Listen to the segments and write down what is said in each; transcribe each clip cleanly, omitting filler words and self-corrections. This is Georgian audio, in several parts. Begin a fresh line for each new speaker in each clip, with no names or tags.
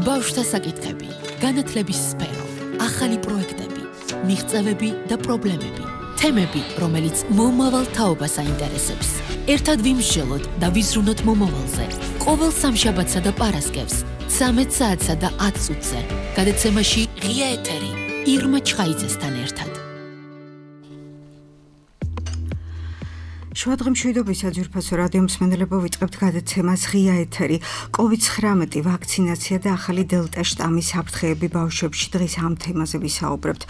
ბავშვთა საკითხები, განათლების სფერო, ახალი პროექტები, მიღწევები და პრობლემები, თემები, რომელიც მომავალ თაობას აინტერესებს. ერთად ვიმსჯელოთ და ვიზრუნოთ მომავალზე. ყოველ სამშაბათსა და პარასკევს, 13 საათსა და 10 წუთზე. გადაცემაში ღია ეთერი, ირმა ჩხაიძესთან ერთად.
შუადღემშვიდობის საძვირფასო რადიო მსმენელებო, ვიწყებთ გადაცემას ღია ეთერი. COVID-19 ვაქცინაცია და ახალი დელტა შტამის საფრთხეები ბავშვებში. დღეს ამ თემაზე ვისაუბრებთ.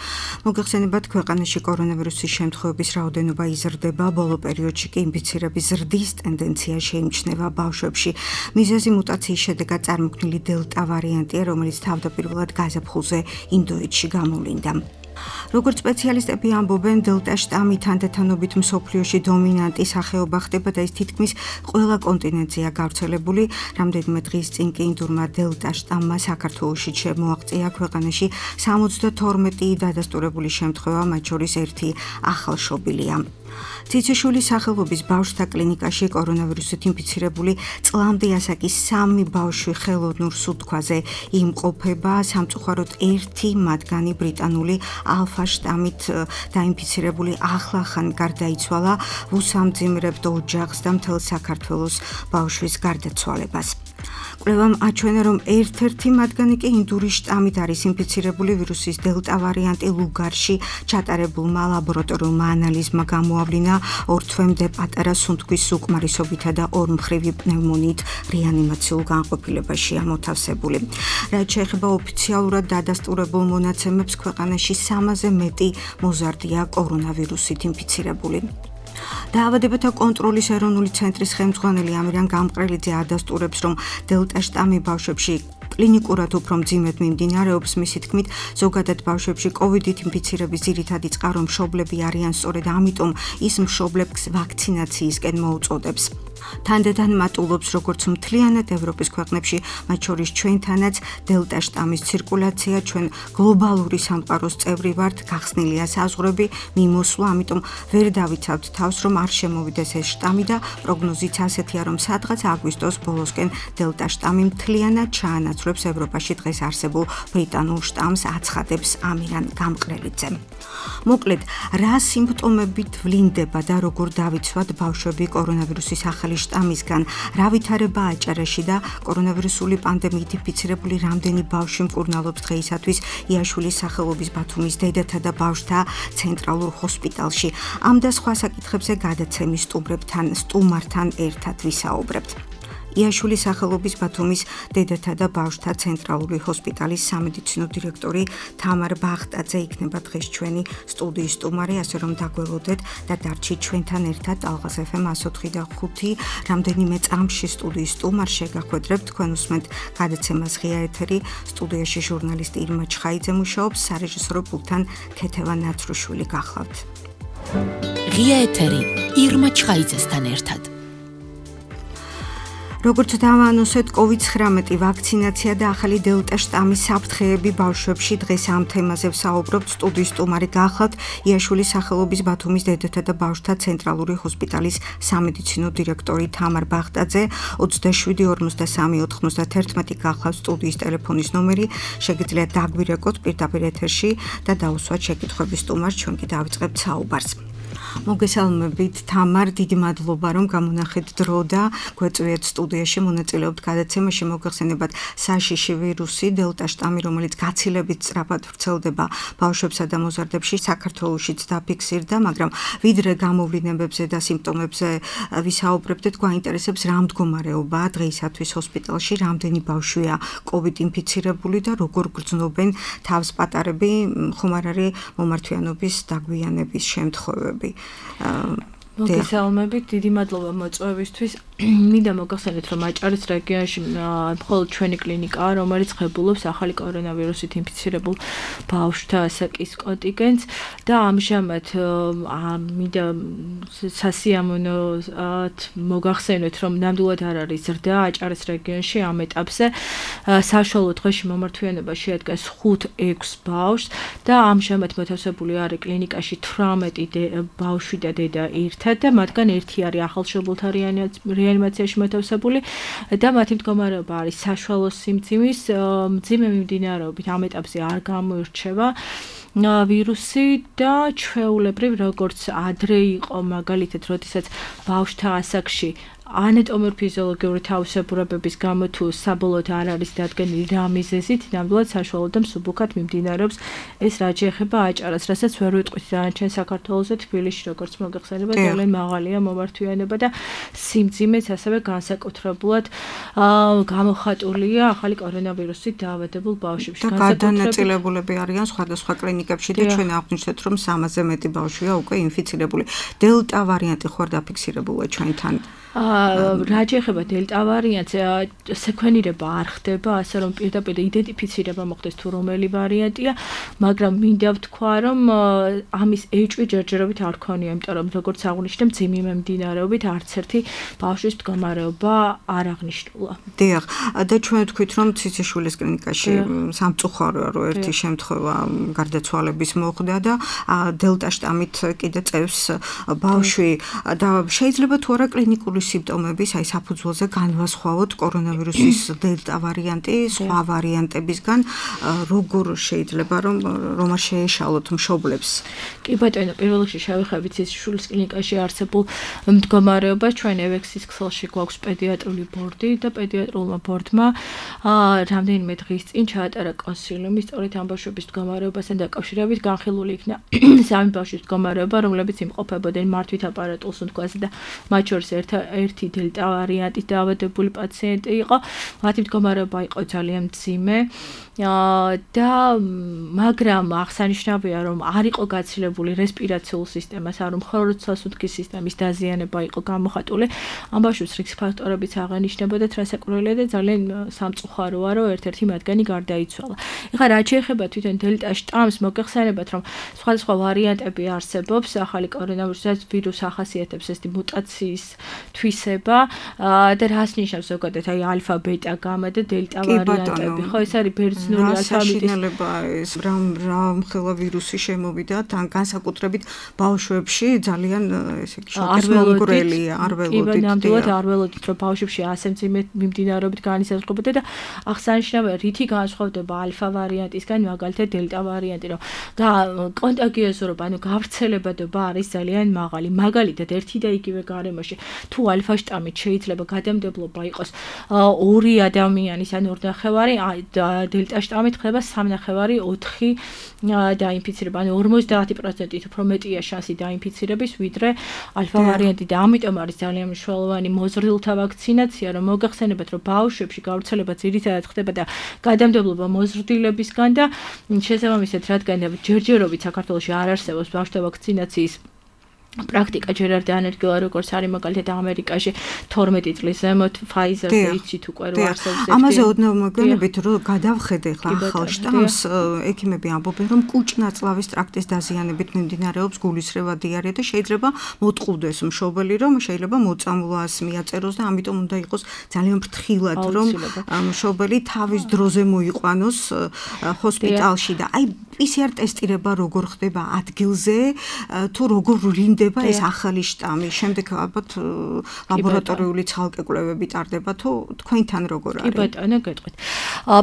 მოგეხსენებათ, ქვეყანაში კორონავირუსის შემთხვევების რაოდენობა იზრდება, ბოლო პერიოდში კი ინფიცირების ზრდის ტენდენცია შეიმჩნევა ბავშვებში. მიზეზი მუტაციის შედეგად წარმოქმნილი დელტა ვარიანტია, რომელიც თავდაპირველად გაზაფხულზე ინდოეთში გამოვლინდა. როგორც სპეციალისტები ამბობენ, დელტა შტამი თანდათანობით მსოფლიოში დომინანტი სახეობა ხდება და ის თითქმის ყველა კონტინენტზეა გავრცელებული. რამდენიმე დღის წინ კი ინდურმა დელტა შტამმა საქართველოში შემოაღწია ქვეყანაში 72 დადასტურებული შემთხვევა, მათ შორის ერთი ახალშობილია. ციციშვილის სახელობის ბავშვთა კლინიკაში კორონავირუსით ინფიცირებული წლამდე ასაკის 3 ბავშვი ხელოვნურ სუნთქვაზე იმყოფება. სამწუხაროდ ერთი მათგანი ბრიტანული ალფა შტამით დაინფიცირებული ახლახან გარდაიცვალა, უსამძიმრებთ ოჯახს და მთელ საქართველოს ბავშვის გარდაცვალებას. კვლევამ აჩვენა, რომ ერთ-ერთი მათგანი კი ინდური შტამით არის ინფიცირებული. ვირუსის დელტა ვარიანტი ლუგარში ჩატარებულმა ლაბორატორიულმა ანალიზმა გამოავლინა 2 თვემდე პატარა სუნთქვის უკმარისობითა და ორმხრივი პნევმონიით რეანიმაციულ განყოფილებაში ამოთავსებული. რაც შეეხება ოფიციალურად დადასტურებულ მონაცემებს, ქვეყანაში 300-ზე მეტი მოზარდია კორონავირუსით ინფიცირებული. დაავადებათა კონტროლის ეროვნული ცენტრის ხელმძღვანელი ამირან გამყრელიძე ადასტურებს, რომ დელტა შტამი ბავშვებში კლინიკურად უფრო მძიმედ მიმდინარეობს. მისი თქმით, ზოგადად ბავშვებში კოვიდით ინფიცირების ძირითადი წყარო მშობლები არიან, სწორედ ამიტომ ის მშობლებს ვაქცინაციისკენ მოუწოდებს. თანდათან მატულობს, როგორც მთლიანად ევროპის ქვეყნებში, მათ შორის ჩვენთანაც დელტა შტამის ცირკულაცია. ჩვენ გლობალური სამყაროს წევრი ვართ, გახსნილია საზღვრები, მიმოსვლა, ამიტომ ვერ დავიცავთ თავს, რომ არ შემოვიდეს ეს შტამი და პროგნოზიც ასეთია, რომ სადღაც აგვისტოს ბოლოსკენ დელტა შტამი მთლიანად ჩაანაცვლებს ევროპაში დღეს არსებულ ბრიტანულ შტამს, აცხადებს ამირან გამყრელიძე. მოკლედ, რა სიმპტომებით ვლინდება და როგორ დავიცვათ ბავშვები კორონავირუსის ახალი შტამისგან, რა ვითარება აჭარაში და კორონავირუსული პანდემიით ინფიცირებული რამდენი ბავშვი მკურნალობს დღეისათვის იაშვილის სახელობის ბათუმის დედათა და ბავშვთა ცენტრალურ ჰოსპიტალში. ამ და სხვა საკითხებზე გადაცემის სტუმართან ერთად ვისაუბრებთ. იაშვილის სახელობის ბათუმის დედათა და ბავშვთა ცენტრალური ჰოსპიტალის სამედიცინო დირექტორი თამარ ბახტაძე იქნება დღეს ჩვენი სტუდიის სტუმარი, ასე რომ დაგველოდეთ და დარჩით ჩვენთან ერთად. ალღას FM 104.5 რამდენიმე წამში სტუდიის სტუმარ შეგახვედრებთ. თქვენ უსმენთ გადაცემას ღია ეთერი. სტუდიაში ჟურნალისტი ირმა ჩხაიძე მუშაობს, სარეჟისორო პულტთან ქეთევა ნაცრუშვილი გახლავთ.
ღია ეთერი, ირმა ჩხაიძესთან ერთად.
როგორც დავანონსეთ, COVID-19 ვაქცინაცია და ახალი დელტა შტამის საფრთხეები ბავშვებში. დღეს ამ თემაზე ვსაუბრობთ. სტუდიის სტუმარი გახლავთ იაშვილის სახელობის ბათუმის დედათა და ბავშვთა ცენტრალური ჰოსპიტალის სამედიცინო დირექტორი თამარ ბახტაძე. 27 43 91 გახლავთ სტუდიის ტელეფონის ნომერი. შეგიძლიათ დაგვირეკოთ პირდაპირ ეთერში და დაუსვათ შეკითხვები სტუმარს, ჩვენ კი დავიწყებთ საუბარს. მოგესალმებით თამარ, დიდი მადლობა რომ გამონახეთ დრო და გვეწვიეთ სტუდიაში მონაწილეობთ გადაცემაში. მოგეხსენებათ, საშიში ვირუსი დელტა შტამი, რომელიც გაცილებით სწრაფად ვრცელდება ბავშვებსა და მოზარდებში, საქართველოშიც დაფიქსირდა, მაგრამ ვიდრე გამოვლინებებზე და სიმპტომებზე ვისაუბრებდეთ, გვაინტერესებს რა მდგომარეობაა დღეისათვის ჰოსპიტალში, რამდენი ბავშვია COVID ინფიცირებული და როგორ გრძნობენ თავს პატარები, ხომ არ არის მომართვიანობის დაგვიანების შემთხვევები.
მოგესალმებით, დიდი მადლობა მოწვევისთვის. მინდა მოგახსენოთ, რომ აჭარის რეგიონში მხოლოდ ჩვენი კლინიკაა, რომელიც ღებულობს ახალი კორონავირუსით ინფიცირებულ ბავშვთა ასაკის კონტინგენტს და ამჟამად მინდა სასიამოვნოდ მოგახსენოთ, რომ ნამდვილად არ არის ზრდა აჭარის რეგიონში ამ ეტაპზე. საშუალო დღეში მომართვიანობა შეადგენს 5-6 ბავშვს და ამჟამად მოთავსებული არის კლინიკაში 18 ბავშვი და დედა ერთად და მათგან ერთი არის ახალშობილთა რეანიმაციაში მოთავსებული და მათი მდგომარეობა არის საშუალო სიმძიმის, მძიმე მიმდინარეობით ამ ეტაპზე არ გამოირჩევა ვირუსი და ჩვეულებრივ როგორც ადრე იყო მაგალითად როდესაც ბავშვთა ასაკში ანატომიურ-ფიზიოლოგიური თავისებურებების გამო თუ საბოლოოდ არ არის დადგენილი რა მიზეზით, ნამდვილად საშუალო და მსუბუქად მიმდინარეობს ეს რაც შეეხება აჭარას, რასაც ვერ ვიტყვით დანარჩენ საქართველოზე, თბილისში როგორც მოგეხსენება ძალიან მაღალია მომართვიანება და სიმძიმეც ასევე განსაკუთრებულად გამოხატულია ახალი კორონავირუსით დაავადებულ ბავშვებში.
და გადანაწილებულები არიან სხვადასხვა კლინიკებში და ჩვენ აღვნიშნეთ, რომ 300-ზე მეტი ბავშვია უკვე ინფიცირებული. დელტა ვარიანტი ხო არ დაფიქსირებულა ჩვენთან?
რა შეეხება დელტა ვარიანტს, სეკვენირება არ ხდება, ასე რომ პირდაპირ იდენტიფიცირება მოხდეს თუ რომელი ვარიანტია, მაგრამ მინდა ვთქვა, რომ ამის ეჭვი ჯერჯერობით არ ქონია, იმიტომ რომ როგორც აღვნიშნე, მძიმე მიმდინარეობით არც ერთი ბავშვის მდგომარეობა არ აღნიშნულა.
დიახ, და ჩვენ ვთქვით, რომ ციციშვილის კლინიკაში სამწუხაროა, რომ ერთი შემთხვევა გარდაცვალების მოხდა და დელტა შტამით კიდე წევს ბავშვი და შეიძლება თუ არა კლინიკური სიმპტომების, აი საფუძველზე განვასხვაოთ კორონავირუსის დელტა ვარიანტი სხვა ვარიანტებისგან, როგორ შეიძლება რომ არ შეეშალოთ მშობლებს?
კი ბატონო, პირველ რიგში შევეხებით ციციშვილის კლინიკაში არსებულ მდგომარეობას, ჩვენ ევექსის ქსელში გვაქვს პედიატრიული ბორდი და პედიატრულმა ბორდმა რამდენიმე დღის წინ ჩაატარა კონსილიუმი სწორედ ამ ბავშვების მდგომარეობასთან დაკავშირებით, განხილული იქნა სამი ბავშვის მდგომარეობა, რომლებიც იმყოფებოდნენ მართვით აპარატულს უთქვაზე და მათ შორის ერთი დელტა ვარიანტით დაავადებული პაციენტი იყო. მათი მდგომარეობა იყო ძალიან მძიმე და მაგრამ აღსანიშნავია, რომ არ იყო გაცილებული რესპირაციულ სისტემას, არ მხოლოდ სასუნთქის სისტემის დაზიანება იყო გამოხატული. ამ ბავშვებს რიგს ფაქტორებიც აღენიშნებოდათ, რასაკვირველია და ძალიან სამწუხაროა, რომ ერთ-ერთი მათგანი გარდაიცვალა. ეხლა რაც შეეხება თვითონ დელტა შტამს, მოგეხსენებათ, რომ სხვადასხვა ვარიანტები არსებობს ახალი კორონავირუსის ვირუს ახასიათებს ეს მუტაციის თვისება და რას ნიშნავს ზოგადად აი ალფა, ბეტა, გამა და დელტა ვარიანტები. ხო, ეს არის ბერძნული ალფაბეტის
ეს რა მხელა ვირუსი შემოვიდა თან განსაკუთრებით ბავშვებში ძალიან ესე იგი შოკის მომგვრელია, არ ველოდით.
კი, ნამდვილად არ ველოდით, რომ ბავშვებში ასე მძიმე მიმდინარეობით განისაზღვრებოდა და აღსანიშნავია, რითი განსხვავდება ალფა ვარიანტისგან მაგალითად დელტა ვარიანტი, რომ კონტაგიოზურობა, ანუ გავრცელებადობა არის ძალიან მაღალი. მაგალითად, ერთი და იგივე გარემოში თუ ალფა შტამით შეიძლება გადამდებლობა იყოს 2 ადამიანის ან 2.5, დელტა შტამით ხდება 3.5, 4 დაინფიცირება, ანუ 50%-ით უფრო მეტია შანსი დაინფიცირების, ვიდრე ალფა ვარიანტი და ამიტომ არის ძალიან მნიშვნელოვანი მოზრდილთა ვაქცინაცია, რომ მოგახსენებათ, რომ ბავშვებში გავრცელება ძირითადად ხდება და გადამდებლობა მოზრდილებისგან და შესაბამისად, რადგან ჯერჯერობით საქართველოში არ არსებობს ბავშვთა ვაქცინაციის პრაქტიკა ჯერ არ დაანერგილა, როგორც არის მაგალითად ამერიკაში 12 წლის ზემოთ Pfizer-ზე იცით უკვე რომ არსებობს.
ამაზე ოდნავ მოგვიანებით რომ გადავხედე ხლა ახალ შტამს, ექიმები ამბობენ, რომ კუჭ-ნაწლავის ტრაქტის დაზიანებით მიმდინარეობს გულისრევა, დიარეა და შეიძლება მოტყუდეს მშობელი, რომ შეიძლება მოწამვლას მიაწეროს და ამიტომ უნდა იყოს ძალიან ფრთხილად, რომ მშობელი თავის დროზე მოიყვანოს ჰოსპიტალში და აი PCR ტესტირება როგორ ხდება ადგილზე, თუ როგორ ვრინდება ეს ახალი შტამი, შემდეგ ალბათ ლაბორატორიული ცალკე კვლევები ტარდება, თუ თქვენთან როგორ არის?
კი ბატონო, გეტყვით.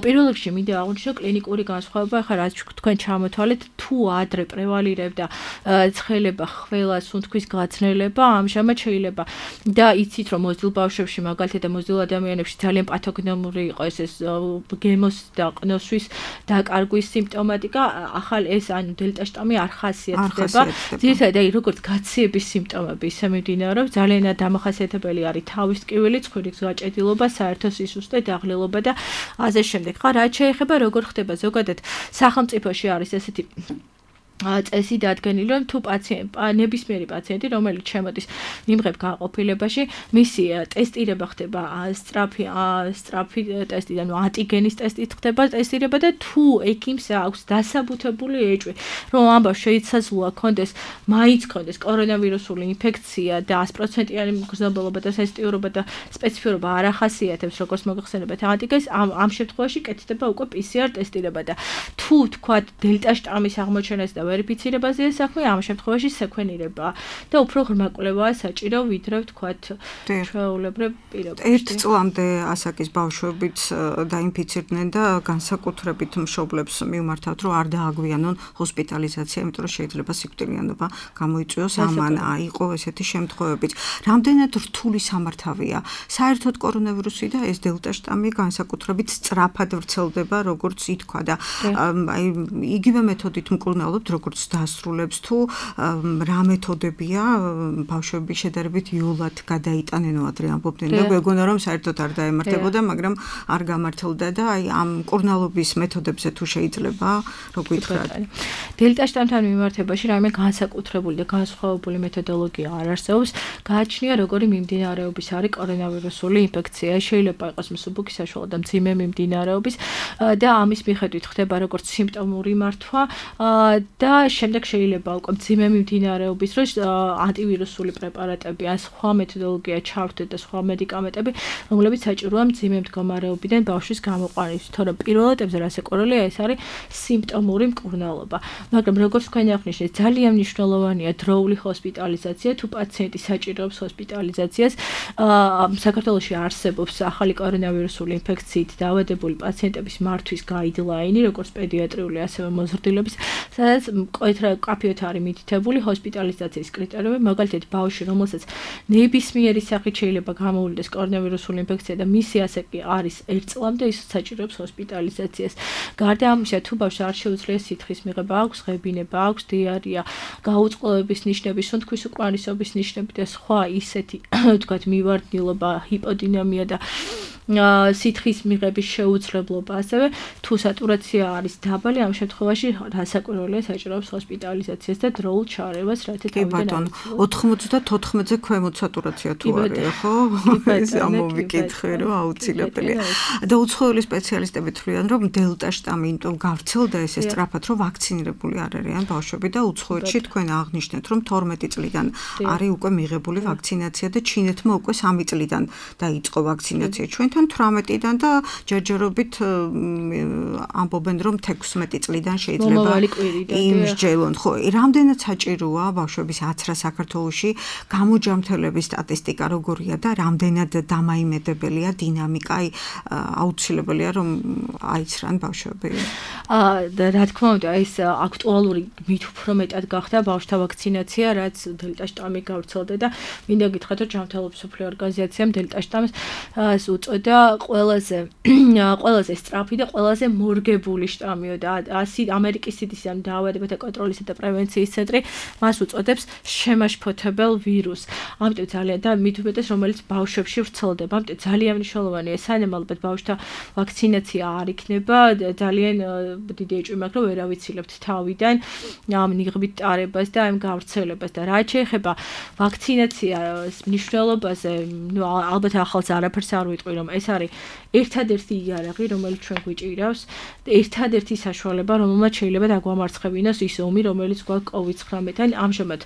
პირველ რიგში მინდა აღვნიშნო კლინიკური განსხვავება, ახლა რაც თქვენ ჩამოთვალეთ, თუ ადრე პრევალირებდა ცხელება, ხველა, სუნთქვის გაწნელება, ამჟამად შეიძლება და იცით, რომ მოზრდილ ბავშვებში, მაგალითად მოზრდილ ადამიანებში ძალიან პათოგენური იყო ეს გემოს და ყნოსვის დაკარგვის სიმპტომატიკა, ახალ ეს ანუ დელტა შტამი არ ხასიათდება. ძირითადად აი როგორც გაციების სიმპტომები ისე მიმდინარეობს, ძალიან დამახასიათებელი არის თავის ტკივილი, ცხვირის გაჭედილობა, საერთო სისუსტე, დაღლილობა და ასე შემდეგ. ხა რაც შეეხება როგორ ხდება ზოგადად სახელმწიფოში არის ესეთი წესი დადგენილი, რომ თუ ნებისმიერი პაციენტი, რომელიც შემოდის მიმღებ განყოფილებაში, მისი ტესტირება ხდება სწრაფი ტესტი, ანუ ანტიგენის ტესტით ხდება ტესტირება და თუ ექიმს აქვს დასაბუთებული ეჭვი, რომ ამ ბავშვს შეიძლება ქონდეს, მაინც ქონდეს კორონავირუსული ინფექცია და 100%-იანი მგრძნობელობა და სენსიტიურობა და სპეციფიურობა არ ახასიათებს, როგორც მოგეხსენებათ ანტიგენს, ამ შემთხვევაში კეთდება უკვე PCR ტესტირება და თუ თქვა დელტა შტამის აღმოჩენას და ვერიფიცირებაზეა საქმე, ამ შემთხვევაში სეკვენირება და უფრო ღრმა კვლევაა საჭირო, ვიდრე ვთქვათ ჩვეულებრივ პირობებში.
ერთ წლამდე ასაკის ბავშვებიც დაინფიცირდნენ და განსაკუთრებით მშობლებს მივმართავთ, რომ არ დააგვიანონ ჰოსპიტალიზაცია, იმიტომ რომ შეიძლება სიკვდილიანობა გამოიწვიოს ამან, იყო ესეთი შემთხვევებიც. რამდენად რთული სამართავია საერთოდ კორონავირუსი და ეს დელტა შტამი განსაკუთრებით სწრაფად ვრცელდება, როგორც ითქვა და აი იგივე მეთოდით მკურნალობთ, როგორც დასრულებს თუ რა მეთოდებია ბავშვების შედარებით იოლად გადაიტანენო ადრე ამბობდნენ და მეგონა რომ საერთოდ არ დაემართებოდა, მაგრამ არ გამართლდა და აი ამ მკურნალობის მეთოდებზე თუ შეიძლება რო გითხრათ.
დელტა შტამთან მიმართებაში რაიმე განსაკუთრებული და განსხვავებული მეთოდოლოგია არ არსებობს. გააჩნია როგორი მიმდინარეობის არის კორონავირუსული ინფექცია. შეიძლება იყოს მსუბუქი საშუალო და მძიმე მიმდინარეობის და ამის მიხედვით ხდება როგორც სიმპტომური მართვა და შემდეგ შეიძლება უკვე მძიმე მიმდინარეობის დროს ანტივირუსული პრეპარატები ან სხვა მეთოდოლოგია ჩავთვეთ და სხვა მედიკამენტები, რომლებიც საჭიროა მძიმე მდგომარეობიდან ბავშვის გამოყვანის. თორემ პირველ ეტაპზე რასაკვირველია ეს არის სიმპტომური მკურნალობა. მაგრამ როგორც თქვენ აღნიშნეთ, ძალიან მნიშვნელოვანია დროული ჰოსპიტალიზაცია, თუ პაციენტი საჭიროებს ჰოსპიტალიზაციას. საქართველოში არსებობს ახალი კორონავირუსული ინფექციით დაავადებული პაციენტების მართვის გაიდლაინი, როგორც პედიატრიული, ასევე მოზრდილობის, სადაც მკვეთრად არის მითითებული ჰოსპიტალიზაციის კრიტერიუმი, მაგალითად ბავშვი, რომელსაც ნებისმიერი სახით შეიძლება გამოვლინდეს კორონავირუსული ინფექცია და მისი ასაკი არის 1 წლამდე, ის საჭიროებს ჰოსპიტალიზაციას. გარდა ამისა, თუ ბავშვს არ შეუძლია სითხის მიღება, აქვს ღებინება, აქვს დიარია, გაუწყლოების ნიშნები, სუნთქვის უკმარისობის ნიშნები და სხვა ისეთი, ვთქვათ, მივარდნილობა, ჰიპოდინამია და სითხის მიღების შეუძლებლობა, ასევე თუ სატურაცია არის დაბალი, ამ შემთხვევაში რასაკვირველია საჭიროებს ჰოსპიტალიზაციას და დროულ ჩარევას, რათა
თავიდან 94-ზე ქვემოთ სატურაცია თუ არის, ხო? ეს ამოვიკითხე, რომ აუცილებელია. და უცხოელი სპეციალისტები თვლიან, რომ დელტა შტამი იმიტომ გავრცელდა ესე სწრაფად, რომ ვაქცინირებული არ არიან ბავშვები და უცხოეთში თქვენ აღნიშნეთ, რომ 12 წლიდან არის უკვე მიღებული ვაქცინაცია და ჩინეთმა უკვე 3 წლიდან დაიწყო ვაქცინაცია. ჩვენთან 18-დან და ჯერჯერობით ამბობენ, რომ 16 წლიდან შეიძლება იმსჯელონ. ხო, რამდენად საჭიროა ბავშვების აცრა საქართველოში, გამოჯამთელების სტატისტიკა როგორია და რამდენად დამაიმედებელია დინამიკა, აუცილებელია რომ აიცრან ბავშვები.
რა თქმა უნდა, ეს აქტუალური მით უფრო მეტად გახდა ბავშვთა ვაქცინაცია, რაც დელტა შტამი გავრცელდა და მინდა გითხრათ, რომ ჯანმრთელობის მსოფლიო ორგანიზაციამ დელტა შტამს უწოდა ყველაზე სწრაფი და ყველაზე მორგებული შტამიო და ამერიკის CDC დაავადებათა კონტროლისა და პრევენციის ცენტრი მას უწოდებს შემაშფოთებელ ვირუსს. ამიტომ ძალიან და მით უმეტეს რომელიც ბავშვებში ვრცელდება. ამიტომ ძალიან მნიშვნელოვანია სანამ ალბათ ბავშვთა ვაქცინაცია არ იქნება, ძალიან დიდი ეჭვი მაქვს, რომ ვერ ავიცილებთ თავიდან ამ ნიღბით ტარებას და ამ გავრცელებას და რაც შეეხება ვაქცინაციას მნიშვნელობაზე, ნუ ალბათ ახალს არაფერს არ ვიტყვი, რომ ეს არის ერთადერთი იარაღი, რომელიც ჩვენ გვიჭირავს, ერთადერთი საშუალება, რომელმაც შეიძლება დაგვამარცხებინოს ის ომი, რომელიც გვაქვს COVID-19-თან. ამჟამად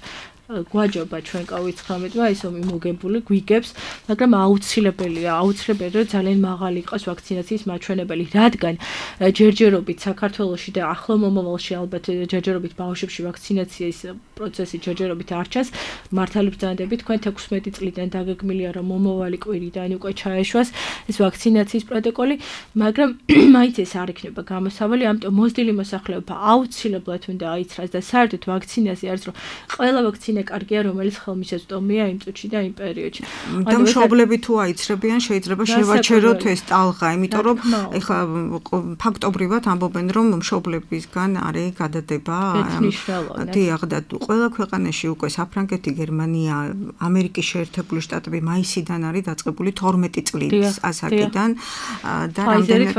გვაჯობა ჩვენ COVID-19-მა, ეს ომი მოგებული გვიგებს, მაგრამ აუცილებელია, რომ ძალიან მაღალი იყოს ვაქცინაციის მაჩვენებელი, რადგან ჯერჯერობით საქართველოში და ახლო მომავალში ალბათ ჯერჯერობით ბავშვებში ვაქცინაციის პროცესი ჯერჯერობით არ ჩანს. მართალი ბრძანდებით, თქვენ 16 წლიდან დაგეგმილია, რომ მომავალი კვირიდან უკვე ჩაეშვას ეს ვაქცინაციის პროტოკოლი, მაგრამ მაინც ეს არ იქნება გამოსავალი, ამიტომ მოზრდილი მოსახლეობა აუცილებლად უნდა აიცრას და საერთოდ ვაქცინაცია არის, რომ ყველა ვაქცინა კარგია, რომელიც ხელმისაწვდომია იმ წუთში და იმ პერიოდში.
და მშობლები თუ აიცრებიან, შეიძლება შევაჩეროთ ეს ტალღა, იმიტომ რომ ეხლა ფაქტობრივად ამბობენ, რომ მშობლებისგან არის გადადება. დიახ, და ყველა ქვეყანაში უკვე საფრანგეთი, გერმანია, ამერიკის შეერთებული შტატები მაისიდან არის დაწყებული 12 წლის ასაკიდან და რამდენად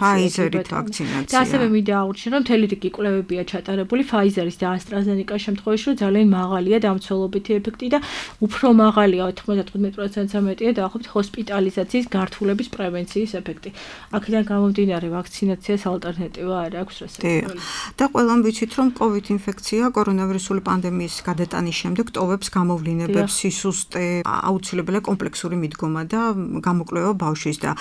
Pfizer-ით ვაქცინაცია.
და ასევე მინდა აღვნიშნო, რომ მთელი რიგი კვლევებია ჩატარებული Pfizer-ის და AstraZeneca-ის შემთხვევაში, რომ ძალიან მაღალია დამცველობითი ეფექტი და უფრო მაღალია 95%-ზე მეტია დაახლოებით ჰოსპიტალიზაციის გართულების პრევენციის ეფექტი. აქედან გამომდინარე ვაქცინაციას ალტერნატივა არ აქვს რასაკვირველი.
და ყველამ ვიცით რომ COVID ინფექცია კორონავირუსული პანდემიის გადატანის შემდეგ ტოვებს გამოვლინებებს, სისუსტე, აუცილებელია კომპლექსური მიდგომა და გამოკვლევა ბავშვის და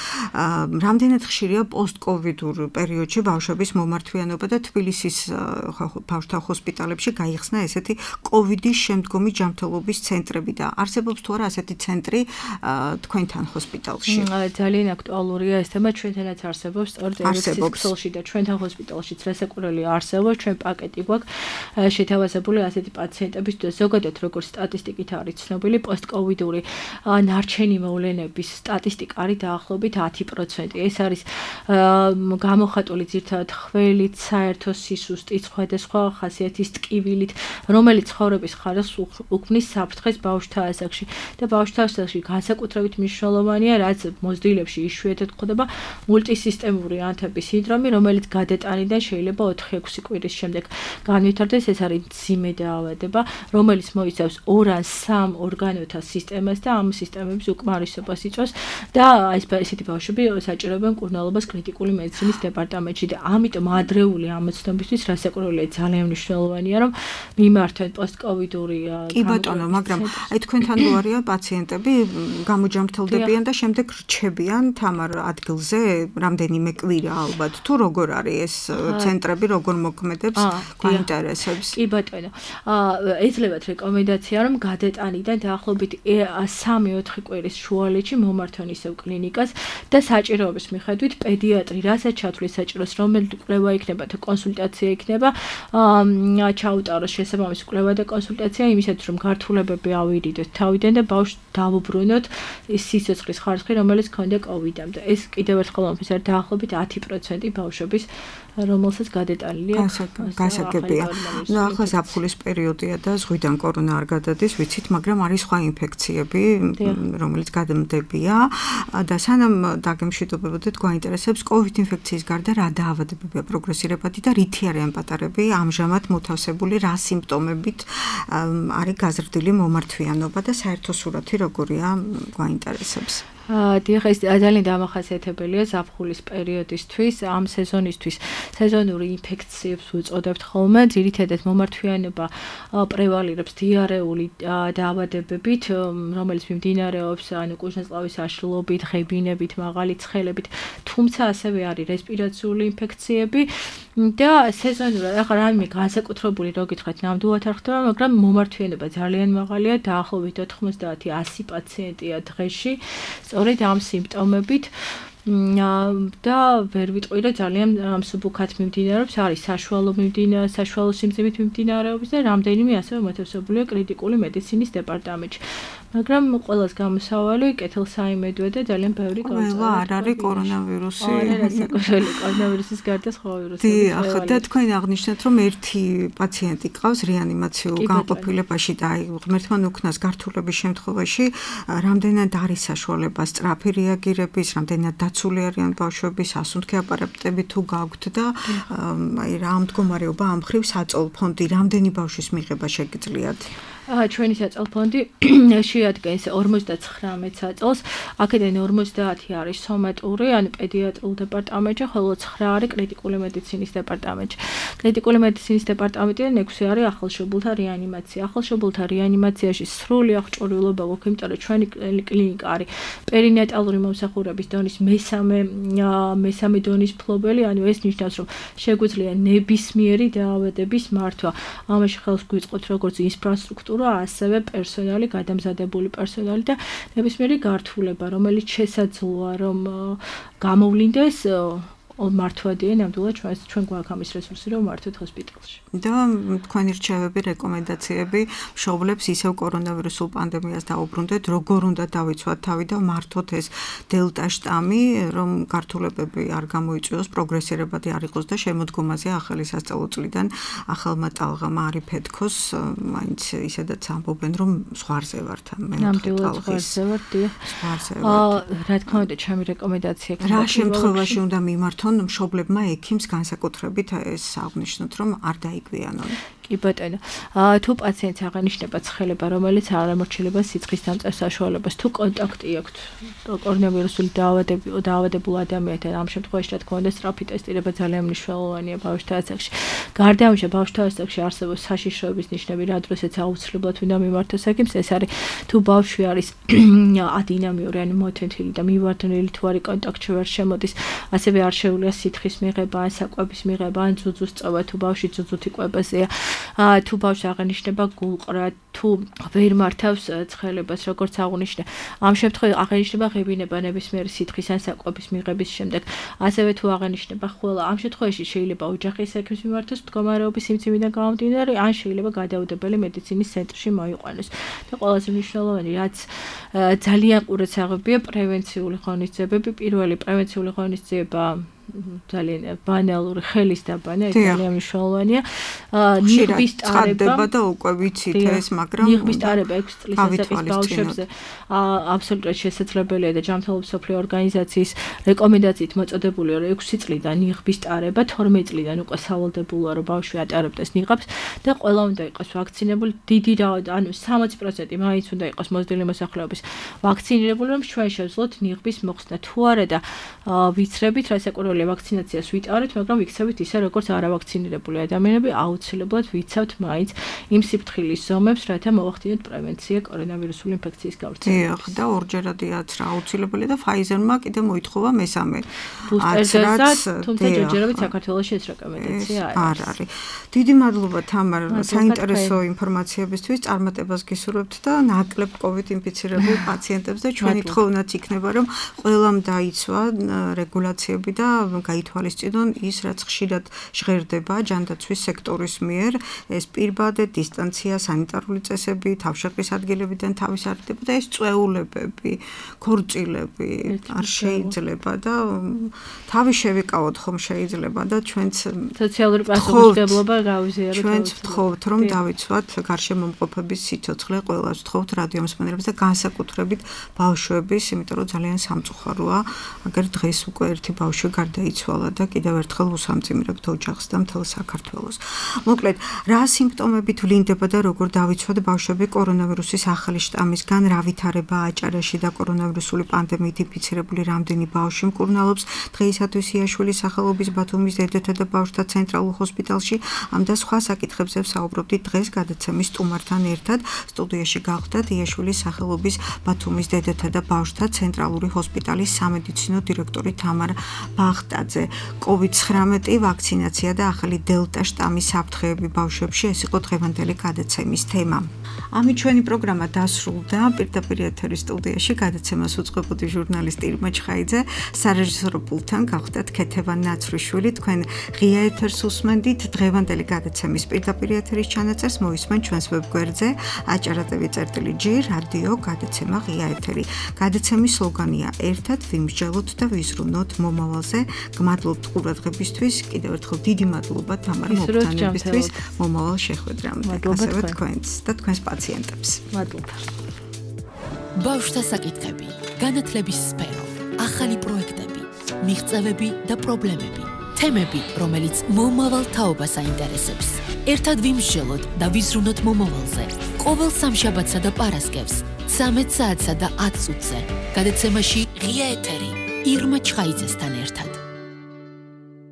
რამდენად ხშირია პოსტ-კოვიდურ პერიოდში ბავშვების მომართვიანობა და თბილისის ბავშვთა ჰოსპიტალებში გაიხსნა ესეთი კოვიდის შემდგომი ჯანმრთელობის ცენტრები და არსებობს თუ არა ასეთი ცენტრი თქვენთან ჰოსპიტალში?
ძალიან აქტუალურია ეს თემა, ჩვენთანაც არსებობს სწორედ ერექსისხლში და ჩვენთან ჰოსპიტალშიც რასაკვირველი არსებობს, ჩვენ პაკეტი გვაქვს შეთავაზებული ასეთი პაციენტების და ზოგადად როგორც სტატისტიკით არის ცნობილი პოსტ-კოვიდური ნარჩენი მოვლენების სტატისტიკა არის დაახლოებით 10%. ეს არის გამოხატული ძირითადად ხველით, საერთო სისუსტით, სხვადასხვა ხასიათის ტკივილით, რომელიც ცხოვრების ხარისხს უქმნის საფრთხეს ბავშვთა ასაკში და ბავშვთა ასაკში განსაკუთრებით მნიშვნელოვანია, რაც მოზრდილებში იშვიათად გვხვდება მულტისისტემური ანთების სინდრომი, რომელიც გადატანიდან შეიძლება 4-6 კვირის შემდეგ განვითარდეს. ეს არის მძიმე დაავადება, რომელიც მოიცავს 2 ან 3 ორგანოთა სისტემას და ამ სისტემების უკმარისობას იწვევს და ესეთი ბავშვები საჭიროებენ მკურნალობას კრიტიკული მედიცინის დეპარტამენტში და ამიტომ ადრეული ამოცნობისთვის რასაკვირველია ძალიან მნიშვნელოვანია რომ მიმართონ პოსტ-კოვიდური
კი ბატონო, მაგრამ აი თქვენთან რო არიან პაციენტები გამოჯამრთელდებიან და შემდეგ რჩებიან თამარ ადგილზე რამდენიმე კვირა ალბათ თუ როგორ არის ეს ცენტრები როგორ მოქმედებს გვაინტერესებს?
კი ბატონო, ეძლებათ რეკომენდაცია რომ გადატანიდან დაახლოებით 3-4 კვირის შუალედში მომართონ ისევ კლინიკას და საჭიროების მიხედვით პედიატრი რასაც ჩათვლის საჭიროს, რომელი კვლევა იქნება თუ კონსულტაცია იქნება, ჩაუტაროს შესაბამისი კვლევა და კონსულტაცია იმისათვის რომ გართულებები ავირიდოთ თავიდან და ბავშვს დავუბრუნოთ სიცოცხლის ხარისხი, რომელიც ჰქონდა კოვიდამდე. ეს კიდევ ერთხელ მომხდარა დაახლოებით 10% ბავშვების რომელსაც გადატანილია
გასაგებია. ნუ ახლა ზაფხულის პერიოდია და ზღვიდან კორონა არ გადადის, ვიცით, მაგრამ არის სხვა ინფექციები, რომელიც გადამდებია და სანამ დაგემშვიდობებოდეთ, გვაინტერესებს COVID ინფექციის გარდა რა დაავადებებია პროგრესირებადი და რითი არიან პატარები, ამჟამად მოთავსებული რა სიმპტომებით არის გაზრდილი მომართვიანობა და საერთო სურათი როგორია გვაინტერესებს.
დიახ, ეს ძალიან დამახასიათებელია ზაფხულის პერიოდისთვის, ამ სეზონისთვის. სეზონური ინფექციებს უწოდებთ ხოლმე, ძირითადად მომართვიანობა პრევალირებს დიარეული დაავადებებით, რომელიც მიმდინარეობს ანუ კუჭნაწყლის აშლილობით, ღებინებით, მაღალი ცხელებით, თუმცა ასევე არის რესპირაციული ინფექციები და სეზონურად ახლა რამე განსაკუთრებული რო გითხრათ, ნამდვილად არ ხდება, მაგრამ მომართვიანობა ძალიან მაღალია, დაახლოებით 90-100 პაციენტია დღეში. სწორედ ამ სიმპტომებით და ვერ ვიტყვი რომ ძალიან მსუბუქად მიმდინარეობს, არის საშუალო სიმძიმით მიმდინარეობის და რამდენიმე ასევე მოთავსებულია კრიტიკული მედიცინის დეპარტამენტში. მაგრამ ყველას გამოსავალი კეთილსაიმედოა და ძალიან ბევრი
გაუწევა. არ არის კორონავირუსი.
კორონავირუსის გარდა სხვა ვირუსები.
დიახ, და თქვენ აღნიშნეთ რომ ერთი პაციენტი ყავს რეანიმაციულ განყოფილებაში და აი ღმერთმა უქნას გართულების შემთხვევაში რამდენად არის საშუალება სწრაფი რეაგირების, რამდენად დაცული არიან ბავშვები, სასუნთქი აპარატები თუ გაქვთ და აი რა მდგომარეობა ამ მხრივ საწოლ ფონდი რამდენი ბავშვის მიღება შეგიძლიათ?
ჩვენი საწოლ ფონდი შეადგენს 59 საწოლს, აქედან 50 არის სომატური, ანუ პედიატრიულ დეპარტამენტში, ხოლო 9 არის კრიტიკული მედიცინის დეპარტამენტში. კრიტიკული მედიცინის დეპარტამენტიდან 6 არის ახალშობილთა რეანიმაცია. ახალშობილთა რეანიმაციაში სრული აღჭურვილობა გვაქვს, იმიტომ რომ ჩვენი კლინიკა არის პერინატალური მომსახურების დონის მესამე დონის მფლობელი, ანუ ეს ნიშნავს, რომ შეგვიძლია ნებისმიერი დაავადების მართვა. ამაში ხელს გვიწყოთ როგორც ინფრასტრუქტურა, ასევე პერსონალი, გადამზადებული პერსონალი და ნებისმიერი გართულება, რომელიც შესაძლოა რომ გამოვლინდეს მართვადია ნამდვილად ჩვენ გვაქვს ამის რესურსი რომ მართვეთ ჰოსპიტალში.
და თქვენი რჩევები, რეკომენდაციები მშობლებს ისევ კორონავირუსულ პანდემიას დაუბრუნდეთ, როგორ უნდა დავიცვათ თავი და მართოთ ეს დელტა შტამი, რომ გართულებები არ გამოიწვიოს, პროგრესირებადი არ იყოს და შემოდგომაზე ახალი სასწავლო წლიდან ახალმა ტალღამ არ იფეთქოს, მაინც ისედაც ამბობენ რომ ზღვარზე ვართ
ნამდვილად ზღვარზე ვართ, რა თქმა უნდა, ჩემი რეკომენდაცია
რა შემთხვევაში უნდა მიმართონ მშობლებმა ექიმს განსაკუთრებით ეს აღნიშნოთ რომ არ დაიგვიანონ.
კი ბატონო. თუ პაციენტს აღენიშნება ცხელება, რომელიც არ ამორჩილება სიცხის დამწერ საშუალებას, თუ კონტაქტი აქვს კორონავირუსული დაავადებულ ადამიანთან, ამ შემთხვევაში რა თქმა უნდა სწრაფი ტესტირება ძალიან მნიშვნელოვანია ბავშვთა ასაკში. გარდა ამისა, ბავშვთა ასაკში არსებობს საშიშროების ნიშნები, რა დროსაც აუცილებლად უნდა მიმართოს ექიმს, ეს არის თუ ბავშვი არის ადინამიური, ანუ მოთეთილი და მივარდნილი თუ არის კონტაქტში ვერ შემოდის, ასევე არ შეუძლია სითხის მიღება, ან საკვების მიღება, ან ძუძუს წოვა, თუ ბავშვი ძუძუთი კვებაზეა, თუ ბავშვს აღენიშნება გულყრა, თუ ვერ მართავს ცხელებას, როგორც აღნიშნე. ამ შემთხვევაში აღენიშნება ღებინება ნებისმიერი სითხის ან საკვების მიღების შემდეგ. ასევე თუ აღენიშნება ხველა, ამ შემთხვევაში შეიძლება ოჯახის ექიმს მიმართოს მდგომარეობის სიმძიმიდან გამომდინარე, ან შეიძლება გადაუდებელი მედიცინის ცენტრში მოიყვანოს. და ყველაზე მნიშვნელოვანი, რაც ძალიან ყურადღებია პრევენციული ღონისძიებები. პირველი პრევენციული ღონისძიება ძალიან ბანალური ხელის დაბანა, ეს ძალიან მნიშვნელოვანია. ნიღბის ტარება
და უკვე ვიცით ეს, მაგრამ
ნიღბის ტარება 6 წლის ასაკის ბავშვებზე აბსოლუტურად შესაძლებელია და ჯანმრთელობის მსოფლიო ორგანიზაციის რეკომენდაციით მოწოდებულია, რომ 6 წლიდან ნიღბის ტარება, 12 წლიდან უკვე სავალდებულოა, რომ ბავშვი ატარებდეს ნიღაბს და ყველა უნდა იყოს ვაქცინებული. დიდი ანუ 60% მაინც უნდა იყოს მოზრდილი მოსახლეობის ვაქცინირებული, რომ ჩვენ შევძლოთ ნიღბის მოხსნა. თუ არა და ვიცრებით, რასაკვირველია ვაქცინაციას ვიტარებთ, მაგრამ ვიქცევით ისე, როგორც არავაქცინირებული ადამიანები, აუცილებლად ვიცავთ მაინც იმ სიფრთხილის ზომებს, რათა მოვახდინოთ პრევენცია კორონავირუსული ინფექციის გავრცელებას.
და ორჯერადიაც რა აუცილებელია და Pfizer-მა კიდე მოითხოვა მესამე
ბუსტერს, თუმცა ჯერჯერობით საქართველოში ეს რეკომენდაცია
არ არის. დიდი მადლობა თამარ, საინტერესო ინფორმაციებისთვის, წარმატებას გისურვებთ და ნაკლებ COVID ინფიცირებულ პაციენტებს და ჩვენი თხოვნაც იქნება, რომ ყველამ დაიცვა რეგულაციები და გაითვალისწინონ ის, რაც ხშირად ჟღერდება ჯანდაცვის სექტორის მიერ, ეს პირბადე, დისტანცია, სანიტარული წესები, თავშეყრის ადგილებიდან თავის არტება და ეს წვეულებები, ქორწილები არ შეიძლება და თავი შევიკავოთ ხომ შეიძლება და ჩვენც
სოციალური პასუხისმგებლობა გავიზიაროთ.
ჩვენც ვთხოვთ, რომ დავიცვათ გარშემომყოფების სიცოცხლე, ყველას ვთხოვთ რადიო მსმენელებს და განსაკუთრებით ბავშვების, იმიტომ რომ ძალიან სამწუხაროა, აგერ დღეს უკვე ერთი ბავშვი გარდაიცვალა და კიდევ ერთხელ უსამძიმრებთ ოჯახს და მთელ საქართველოს. მოკლედ, რა სიმპტომებით ვლინდება და როგორ დავიცვათ ბავშვები კორონავირუსის ახალი შტამისგან, რა ვითარება აჭარაში და კორონავირუსული პანდემიით ინფიცირებული რამდენი ბავშვი მკურნალობს დღეისათვის იაშვილის სახელობის ბათუმის დედათა და ბავშვთა ცენტრალურ ჰოსპიტალში, ამ და სხვა საკითხებზე ვსაუბრობდით დღეს გადაცემის სტუმართან ერთად. სტუდიაში გავხდათ იაშვილის სახელობის ბათუმის დედათა და ბავშვთა ცენტრალური ჰოსპიტალის სამედიცინო დირექტორი თამარ ბახტაძე. COVID-19 ვაქცინაცია და ახალი დელტა შტამის საფრთხეები ბავშვებში, ეს იყო დღევანდელი გადაცემის თემა. ამით ჩვენი პროგრამა დასრულდა. პირდაპირ ეთერის სტუდიაში გადაცემას უწყებოდი ჟურნალისტი ირმა ჩხაიძე, სარეჟისორო პულტთან გავხდათ ქეთევან ნაცრიშვილი. თქვენ ღია ეთერს უსმენდით. დღევანდელი გადაცემის პირდაპირ ეთერის ჩანაწერს მოისმენთ ჩვენს ვებგვერდზე aჭara.tv/g რადიო გადაცემა ღია ეთერი. გადაცემის სლოგანია ერთად ვიმსჯელოთ და ვიზრუნოთ მომავალზე. გმადლობთ ყურადღებისთვის. კიდევ ერთხელ დიდი მადლობა თამარ მოგთანებისთვის მომავალ შეხვედრამდე. ასევე თქვენს და თქვენს პაციენტებს.
მადლობა.
ბავშვთა საკითხები, განათლების სფერო, ახალი პროექტები, მიღწევები და პრობლემები, თემები, რომელიც მომავალ თაობას აინტერესებს. ერთად ვიმსჯელოთ და ვიზრუნოთ მომავალზე. ყოველ სამშაბათსა და პარასკევს 13 საათსა და 10 წუთზე. გადაცემაში ღია ეთერი ირმა ჩხაიძესთან ერთად.